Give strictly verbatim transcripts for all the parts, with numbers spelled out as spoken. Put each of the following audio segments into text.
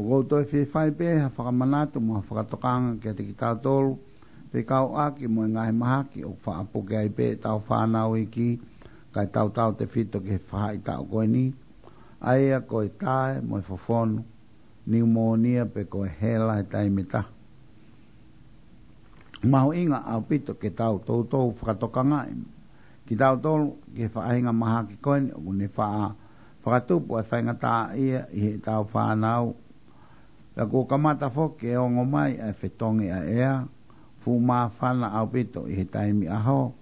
ʻOku ou toe fie fai pē ha fakamanatu mo ha fakatokanga kiate kitautolu, fekauʻaki mo e ngaahi mahaki ʻoku faʻa puke ai pē ʻetau fānau iiki, kae tautautefito ki he faʻahitaʻu ko eni, ʻa ia ko e tae mo e fofonu, niumōnia pe ko e hela he taimi ʻe taha. Mahuʻinga ʻaupito ke tau toutou fakatokangaʻi kitautolu ki he faʻahinga mahaki ko eni ʻoku ne faʻa fakatupu ʻa e faingataʻaʻia ʻi heʻetau fānau. Pea kuo kamata foki ke ongo mai ʻa e fetongi ʻa e ʻea, fuʻu māfana ʻaupito ʻi he taimi ʻaho,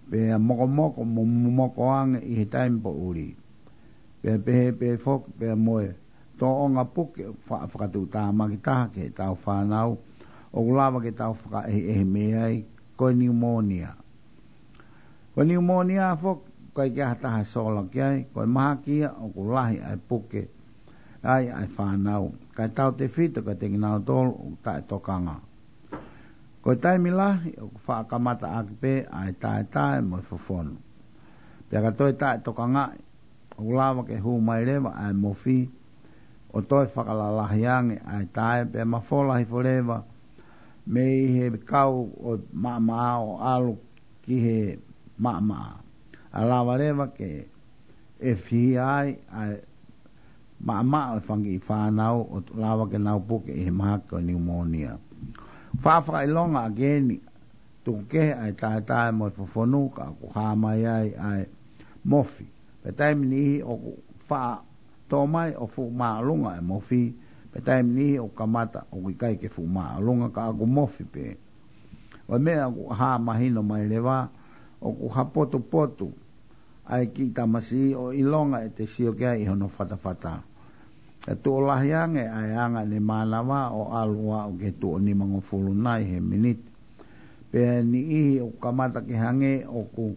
pea mokomoko mo momoko ange ʻi he taimi poʻuli. Pea pehē pē foki pea mo e tōʻonga puke ʻoku faʻa fakatuʻutāmaki taha ki heʻetau fānau, ʻoku lava ke tau fakaʻehiʻehi mei ai, ko e niumōnia. Ko e niumōnia foki, ʻoku ʻikai ke ʻi ai ha taha ʻe sola ki ai, ko e mahaki ia ʻoku lahi ʻa e puke ai ʻa e fānau, kae tautefito kiate kinautolu ʻoku taʻetokanga. Ko e taimi lahi ʻoku faʻa kamata ʻaki pē ʻa e taetae mo e fofonu. Pea ka toe taʻetokangaʻi, ʻoku lava ke hū mai leva ʻa e mofi, ʻo toe fakalalahi ange ʻa e tae, pea mafola hifo leva mei he kau ʻo e maʻamaʻa ʻo ʻalu ki he maʻamaʻa. ʻA lava leva ke ʻefihia ai ʻa e maʻamaʻa ʻo e fanga kiʻi fānau ʻo lava ke nau puke ʻi he mahaki ko e niumōnia. Faʻa fakaʻilonga ʻaki eni, tuku kehe ʻa e taetae mo e fofonu ka ʻoku hā mai ai ʻa e mofi. Pea taimi niʻihi ʻoku faʻa tō mai ʻo fuʻu māʻolunga ʻa e mofi, pea taimi niʻihi ʻoku kamata ʻoku ʻikai ke fuʻu māʻolunga ka ʻoku mofi pē. ʻO e meʻa ʻoku hā mahino mai leva, ʻoku hapotupotu ʻa e kiʻi tamasiʻi ʻo ʻilonga ʻete sio ki ai ʻi hono fatafata. ʻE tuʻo lahi ange ʻa e anga ʻene mānava ʻo ʻalu ʻo aʻu ki he tuʻo nimangofulu nai he miniti. Pea niʻihi ʻoku kamata ke hangē ʻoku,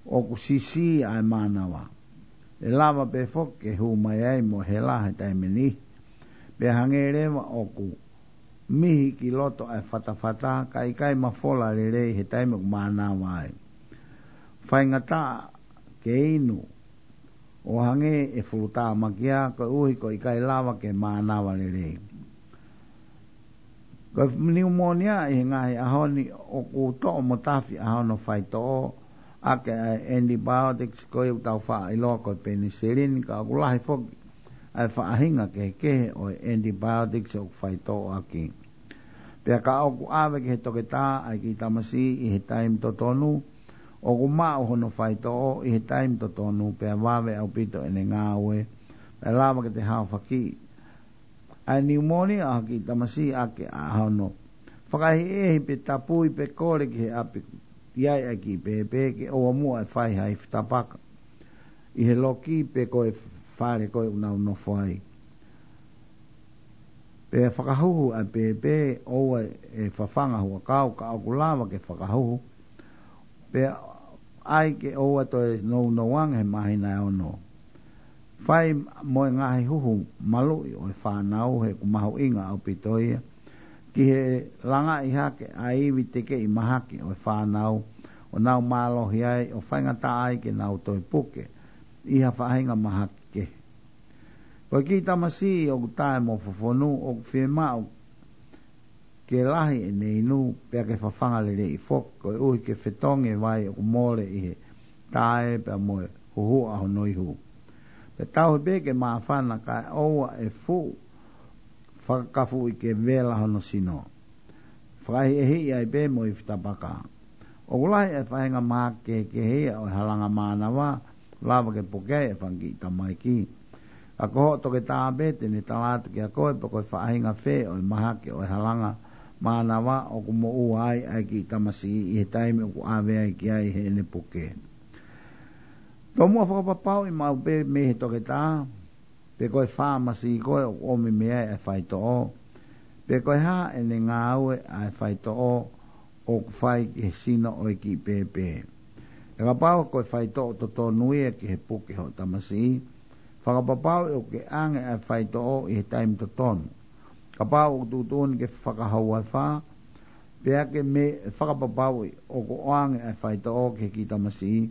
ʻoku sisi ʻa e mānava. ʻE lava pē foki ke hū mai ai mo e hela he taimi niʻihi. Pea hangē leva ʻoku mihi ki loto ʻa e fatafata, ka ʻikai mafola lelei he taimi ʻoku mānava ai. Faingataʻa ke inu ʻo hangē ʻe fulutāmakia koeʻuhi ko e ʻikai lava ke mānava lelei. Ko e niumōnia ʻi he ngaahi ʻaho ni ʻoku toʻo mo tafi ʻa hono faitoʻo ʻaki ʻa e antibiotics ko ia ʻoku tau faʻa ʻiloa ko e penisilini, ka ʻoku lahi foki ʻa e faʻahinga kehekehe ʻo e antibiotics ʻoku faitoʻo ʻaki. Pea ka ʻoku ʻave ki he toketā ʻa e kiʻi tamasiʻi ʻi he taimi totonu, ʻoku maʻu hono faitoʻo ʻi he taimi totonu, pea vave ʻaupito ʻene ngāue, pea lava ke te haofaki ʻa e niumōnia ʻa e kiʻi tamasiʻi ʻaki ʻa hono fakaʻehiʻehi pe tapui pe kole ki he ʻapi ʻi ai ʻa e kiʻi pēpē ke ʻoua muʻa ʻe fai ha ifi tapaka ʻi he loki pe ko e fale ko ē ʻoku nau nofo ai. Pea fakahuhu ʻa e pēpē, ʻoua ʻe fafanga huʻakau ka ʻoku lava ke fakahuhu. Pea ʻai ke ʻoua toe nounou ange he māhina ʻe ono. Fai mo e ngaahi huhu maluʻi ʻo e fānau he ʻoku mahuʻinga ʻaupito ia ki he langaʻi hake ʻa e ivi tekeʻi mahaki ʻo e fānau ʻo nau mālohi ai ʻo faingataʻa ai ke nau toe puke ʻi ha faʻahinga mahaki kehe. Ko e kiʻi tamasiʻi ʻoku tae mo fofonu ʻoku fiemaʻu ke lahi ʻene inu pea ke fafanga lelei foki koeʻuhi ke fetongi e vai ʻoku mole ʻi he tae pea mo e huhuʻa hono ihu. Pea tauhi pē ke māfana kae ʻoua ʻe fuʻu fakakafuʻi ke vela hono sino. Fakaʻehiʻehiʻi ai pē mo e ifi tapaka. ʻOku lahi e faʻahinga mahaki kehekehe ia ʻo e halanga mānava, lava ke puke ai e fanga kiʻi tamaiki. Ka ko hoʻo toketā pē te ne tala atu kiate koe pe ko e faʻahinga fē ʻo e mahaki ʻo e halanga mānava ʻoku moʻua ai ʻa e kiʻi tamasiʻi ʻi he taimi ʻoku ʻave ai ki ai heʻene puke. Tomuʻa fakapapauʻi maʻu pē mei he toketā pe ko e fāmasi ko ē ʻoku ʻomi mei ai ʻa e faitoʻo, pe ko e hā ʻene ngāue ʻa e faitoʻo ʻoku fai ki he sino ʻo e kiʻi pēpē. Pea kapau ko e faitoʻo totonu ia ki he puke hoʻo tamasiʻi, fakapapauʻi ʻoku ke ʻange ʻa e faitoʻo ʻi he taimi totonu. Kapau ʻoku tuʻutuʻuni ke fakahoua ʻe fā, pea ke me fakapapauʻi ʻoku ʻoange ʻa e faitoʻo ki he kiʻi tamasiʻi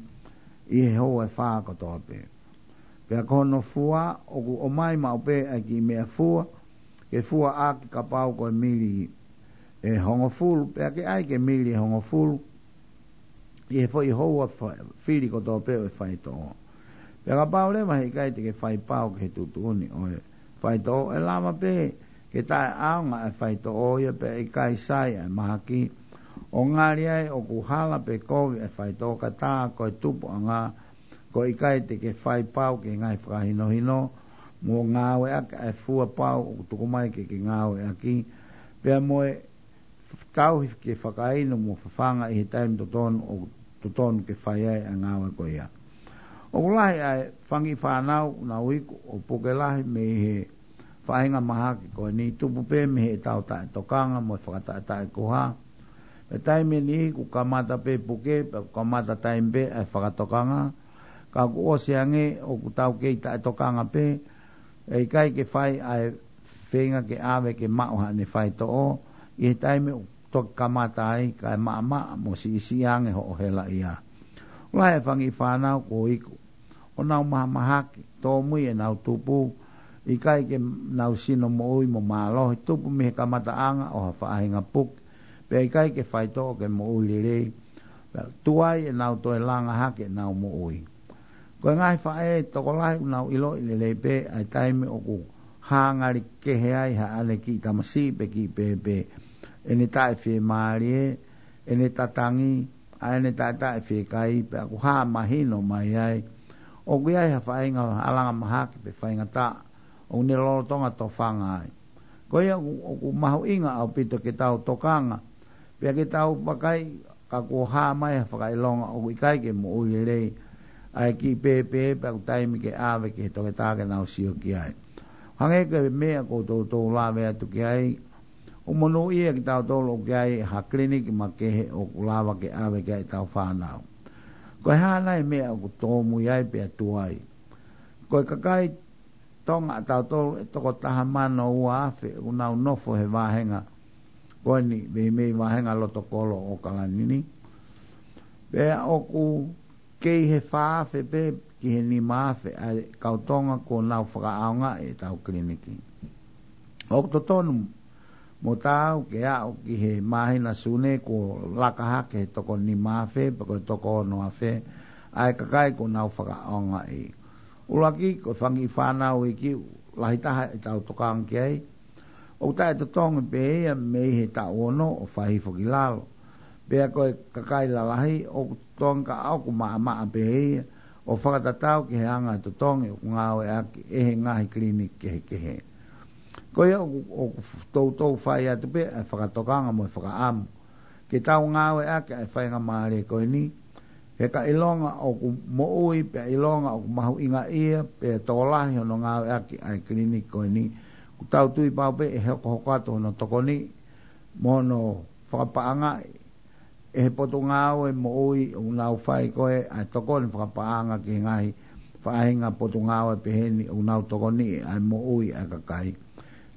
ʻi he houa ʻe fā kotoa pē. Pea ko hono fua, ʻoku ʻomai maʻu pē ʻa e kiʻi meʻafua ke fua ʻaki kapau ko e mili ʻe hongofulu, pea ke ʻai ke mili ʻe hongofulu ʻi he foʻi houa fa-, fili kotoa pē ʻo e faitoʻo. Pea kapau leva he ʻikai te ke fai pau ki he tuʻutuʻuni ʻo e faitoʻo, ʻe lava pē ke taʻeʻaonga e faitoʻo ia pea ʻikai sai e mahaki, ʻo ngali ai ʻoku hala pe kovi e faitoʻo ka tā ko e tupuʻanga, ko e ʻikai te ke fai pau ki he ngaahi fakahinohino mo ngāueʻaki e fua pau ʻoku tuku mai ke ke ngāueʻaki, pea mo e tauhi ke fakainu mo fafanga ʻi he taimi totonu ʻoku totonu ke fai ai e ngāue ko ia. ʻOku lahi e fangi fānau ʻoku nau iku ʻo puke lahi mei he faʻahinga mahaki ko eni, tupu pē mei heʻetau taʻetokanga mo e fakataʻetaʻekuha. Pea taimi ʻe niʻihi kuo kamata pē puke, pea kuo kamata taimi pē e fakatokanga, ka kuo ʻosi ange ʻoku tau kei taʻetokanga pē, ʻe ʻikai ke fai ʻa e feinga ke ʻave ke maʻu haʻane faitoʻo ʻi he taimi ʻoku toki kamata ai, kae maʻamaʻa mo siʻisiʻi ange hoʻo helaʻia. ʻOku lahi e fangi fānau kuo iku ʻo nau mahamahaki, tōmui ʻenau tupu, ʻikai ke nau sino moʻui mo mālohi, tupu mei he kamataʻanga ʻo ha faʻahinga puke, pea ʻikai ke faitoʻo ke moʻui lelei, pea tuai ʻenau toe langa hake ʻenau moʻui. Ko e ngaahi faʻē tokolahi ʻoku nau ʻiloʻi lelei pē ʻa e taimi ʻoku hā ngali kehe ai haʻane kiʻi tamasiʻi pe kiʻi pēpē, ʻene taʻefiemālie, ʻene tatangi, ʻa ʻene taʻetaʻefiekaia, pea ʻoku hā mahino mai ai ʻoku ʻi ai ha faʻahinga halanga mahaki pe faingataʻa ʻoku ne lolotonga tofanga ai. Ko ia ʻoku, ʻoku mahuʻinga ʻaupito ke tau tokanga, pea ke tau vakai ka kuo hā mai ha fakaʻilonga ʻoku ʻikai ke moʻui lelei ʻa e kiʻi pēpē, pea ʻoku taimi ke ʻave ki he toketā ke nau sio ki ai. Hangē ko e meʻa kuo toutou lave atu ki ai, ʻoku monūʻia kitautolu ʻoku ʻi ai ha kiliniki makehe ʻoku lava ke ʻave ki ai ʻetau fānau. Ko e hā nai e meʻa ʻoku tōmui ai pea tuai? Ko e kakai Tonga ʻatautolu ʻe toko taha mano ua afe ʻoku nau nofo he vāhenga ko eni, meimei vāhenga loto kolo ʻo ʻAokalani ni. Pea ʻoku kei he fā afe pē ki he nima afe ʻa e kau Tonga kuo nau fakaʻaongaʻi ʻetau kiliniki. ʻOku totonu mo taau ke aʻu ki he māhina Sune kuo laka hake he toko nima afe pe ko e toko ono afe ʻa e kakai kuo nau fakaʻaongaʻi. ʻUluaki, ko e fangi fānau iiki, lahi taha ʻetau tokanga ki ai. ʻOku taʻetotongi pē ia mei he taʻu ono ʻo fai hifo ki lalo. Pea ko e kakai lalahi ʻoku totongi ka ʻoku maʻamaʻa pē ia ʻo fakatatau ki he anga e totongi ʻoku ngāueʻaki ʻe he ngaahi kiliniki kehekehe. Ko ia ʻoku, ʻoku toutou fai atu pē e fakatokanga mo e fakaʻamu ke tau ngāueʻaki ʻa e faingamālie ko eni, he ka ʻilonga ʻoku moʻui pea ʻilonga ʻoku mahuʻingaʻia pea tokolahi hono ngāueʻaki ʻa e kiliniki ko eni, ʻoku tau tui pau pē ʻe hokohoko atu hono tokoniʻi mo hono fakapaʻangaʻi ʻe he potungāue moʻui ʻoku nau fai ko ē ʻa e tokoni fakapaʻanga ki he ngaahi faʻahinga potungāue peheni ʻoku nau tokoniʻi ʻa e moʻui ʻa e kakai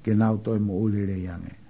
ke nau toe moʻui lelei ange.